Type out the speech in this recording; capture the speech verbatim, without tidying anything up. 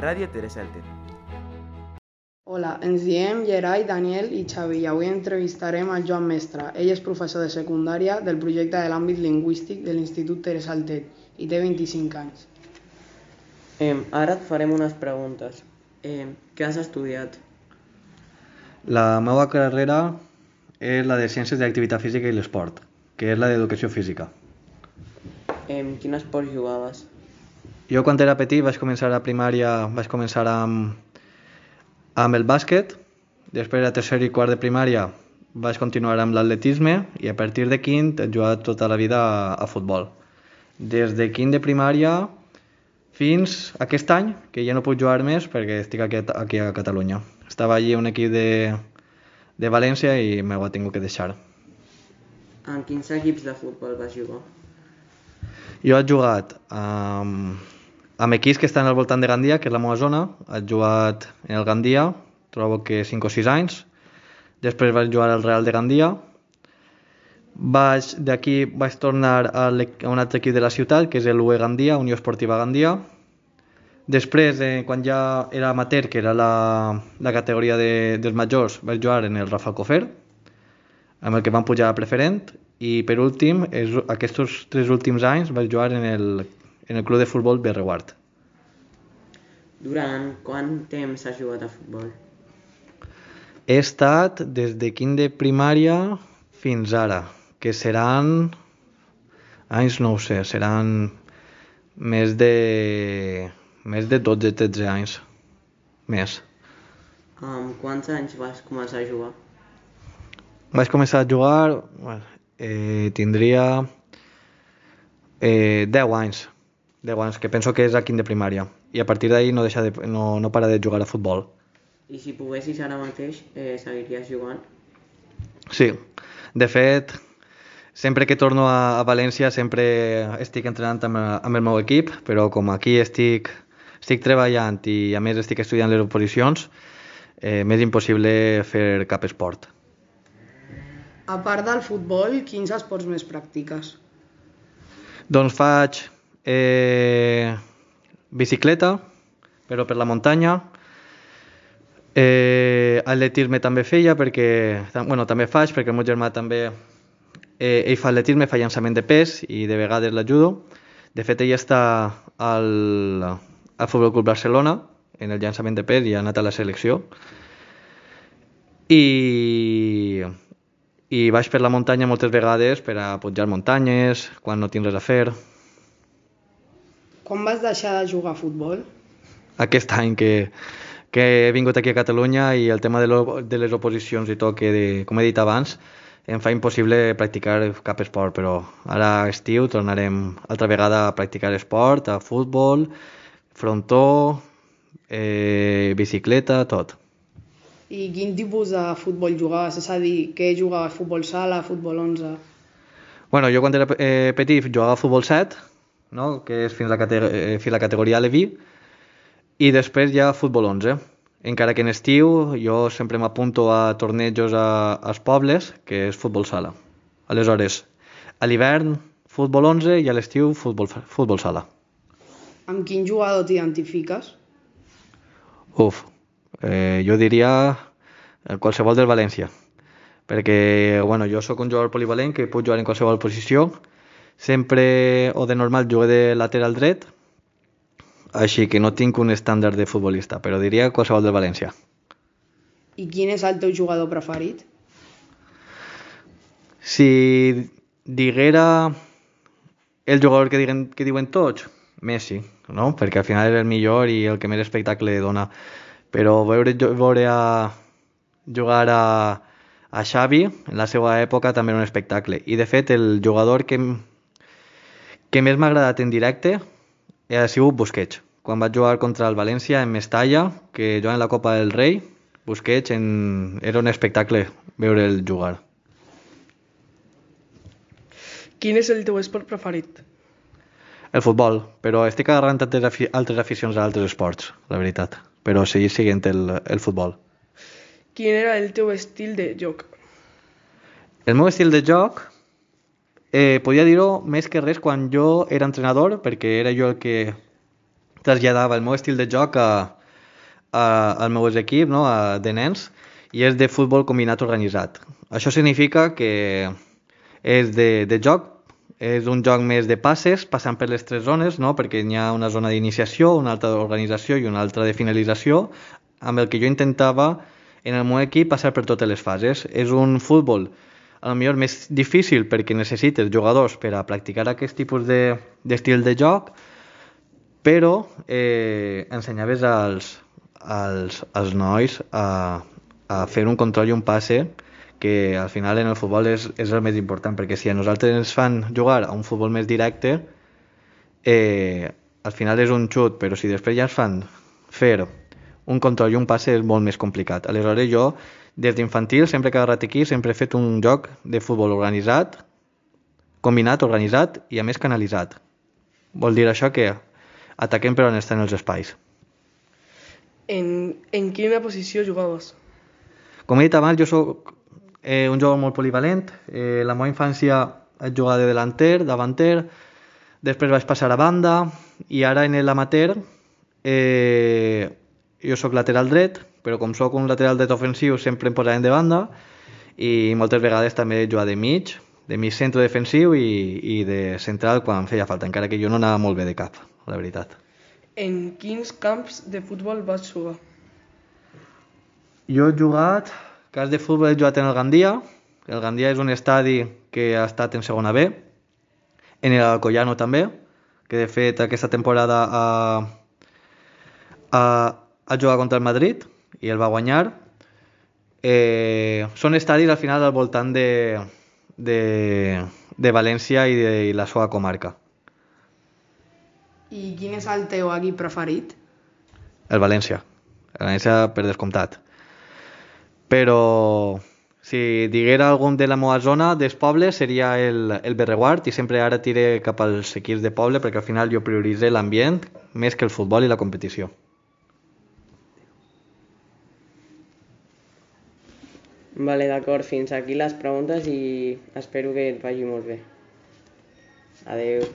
Ràdio Teresa Altet. Hola, ens diem Gerai, Daniel i Xavi i avui entrevistarem a Joan Mestre. Ell és professor de secundària del projecte de l'àmbit lingüístic de l'Institut Teresa Altet i té vint-i-cinc anys. Eh, ara et farem unes preguntes. Eh, què has estudiat? La meva carrera és la de Ciències de l'Activitat Física i l'Esport, que és la d'Educació Física. Eh, quin esport jugaves? Jo quan era petit vaig començar a primària, vaig començar amb, amb el bàsquet, després a tercer i quart de primària vaig continuar amb l'atletisme i a partir de quint he jugat tota la vida a, a futbol. Des de quint de primària fins aquest any, que ja no puc jugar més perquè estic aquí, aquí a Catalunya. Estava allí un equip de, de València i m'ho he tingut que deixar. En quins equips de futbol vas jugar? Jo he jugat amb, amb equips que estan al voltant de Gandia, que és la meva zona. He jugat en el Gandia, trobo que cinc o sis anys. Després vaig jugar al Real de Gandia. Vaig, d'aquí vaig tornar a, a un altre equip de la ciutat, que és l'U E Gandia, Unió Esportiva Gandia. Després, eh, quan ja era amateur, que era la, la categoria de, dels majors, vaig jugar en el Rafael Cofer, amb el que vam pujar a preferent. I per últim, és, aquests tres últims anys vaig jugar en el, en el club de futbol Berreguard. Durant quant temps has jugat a futbol? He estat des de quint de primària fins ara, que seran anys, no ho sé, seran més de, més de dotze o tretze anys, més. Amb quants anys vas començar a jugar? Vaig començar a jugar, bueno, eh, tindria eh, deu anys, deu anys, que penso que és a quint de primària, i a partir d'ahir no, deixa de, no, no para de jugar a futbol. I si poguessis ara mateix, eh, seguiries jugant? Sí, de fet, sempre que torno a, a València sempre estic entrenant amb, amb el meu equip, però com aquí estic, estic treballant i a més estic estudiant les oposicions, eh, m'és impossible fer cap esport. A part del futbol, quins esports més practiques? Doncs faig eh, bicicleta, però per la muntanya. Eh, atletisme també feia, perquè, bueno, també faig, perquè el meu germà també, eh, ell fa atletisme, fa llançament de pes i de vegades l'ajudo. De fet, ell està al, al Futbol Club Barcelona, en el llançament de pes i ha anat a la selecció. I... i vaig per la muntanya moltes vegades per a pujar muntanyes, quan no tinc res a fer. Quan vas deixar de jugar a futbol? Aquest any que, que he vingut aquí a Catalunya i el tema de, lo, de les oposicions i tot, que de, com he dit abans, em fa impossible practicar cap esport, però ara estiu tornarem altra vegada a practicar esport, a futbol, frontó, eh, bicicleta, tot. I quin tipus de futbol jugaves? És a dir, què jugaves? Futbol sala, futbol onze? Bueno, jo quan era eh, petit jugava a futbol set, no? Que és fins a la, cate eh, fins a la categoria Leví, i després ja futbol onze. Encara que en estiu jo sempre m'apunto a tornejos a, als pobles, que és futbol sala. Aleshores, a l'hivern futbol onze i a l'estiu futbol, futbol sala. Amb quin jugador t'identifiques? Uf, eh, jo diria qualsevol del València, perquè bueno, jo sóc un jugador polivalent que puc jugar en qualsevol posició. Sempre o de normal jugué de lateral dret, així que no tinc un estàndard de futbolista, però diria qualsevol del València. I quin és el teu jugador preferit? Si diguera el jugador que diuen, que diuen tots, Messi, no? Perquè al final és el millor i el que més espectacle dona. Però veure, veure a jugar a, a Xavi en la seva època també era un espectacle. I de fet el jugador que, que més m'ha agradat en directe ha sigut Busquets. Quan vaig jugar contra el València en Mestalla, que jugava en la Copa del Rei, Busquets en... era un espectacle veure'l jugar. Quin és el teu esport preferit? El futbol, però estic agarrant altres, afi altres aficions a altres esports, la veritat. Però seguir seguint el, el futbol. Quin era el teu estil de joc? El meu estil de joc, eh, podia dir-ho més que res quan jo era entrenador, perquè era jo el que traslladava el meu estil de joc a, a, al meu equip, no? a, de nens, i és de futbol combinat organitzat. Això significa que és de, de joc, és un joc més de passes, passant per les tres zones, no? perquè hi ha una zona d'iniciació, una altra d'organització i una altra de finalització, amb el que jo intentava en el meu equip passar per totes les fases. És un futbol a lo millor més difícil perquè necessites jugadors per a practicar aquest tipus de, d'estil de joc, però eh, ensenyaves als, als, als nois a, a fer un control i un passe, que al final en el futbol és, és el més important, perquè si a nosaltres ens fan jugar a un futbol més directe, eh, al final és un xut, però si després ja ens fan fer un control i un passe és molt més complicat. Aleshores jo, des d'infantil, sempre que he agarrat aquí, sempre he fet un joc de futbol organitzat, combinat, organitzat i a més canalitzat. Vol dir això que ataquem per on estan els espais. En, en quina posició jugaves? Com he dit abans, jo soc eh, un jugador molt polivalent. Eh, la meva infància he jugat de delanter, davanter, després vaig passar a banda i ara en l'amateur eh, jo sóc lateral dret, però com sóc un lateral dret ofensiu sempre em posaven de banda i moltes vegades també he jugat de mig, de mig centre defensiu i, i de central quan feia falta, encara que jo no anava molt bé de cap, la veritat. En quins camps de futbol vas jugar? Jo he jugat, cas de futbol he jugat en el Gandia. El Gandia és un estadi que ha estat en segona B. En el Alcoyano també, que de fet aquesta temporada ha, ha, ha jugat contra el Madrid i el va guanyar. Eh, són estadis al final al voltant de, de, de València i de i la seva comarca. I quin és el teu equip preferit? El València. El València per descomptat. Però si diguera algun de la meva zona, dels pobles, seria el, el Berreguard, i sempre ara tire cap als equips de poble perquè al final jo prioritze l'ambient més que el futbol i la competició. Vale, d'acord, fins aquí les preguntes i espero que et vagi molt bé. Adeu.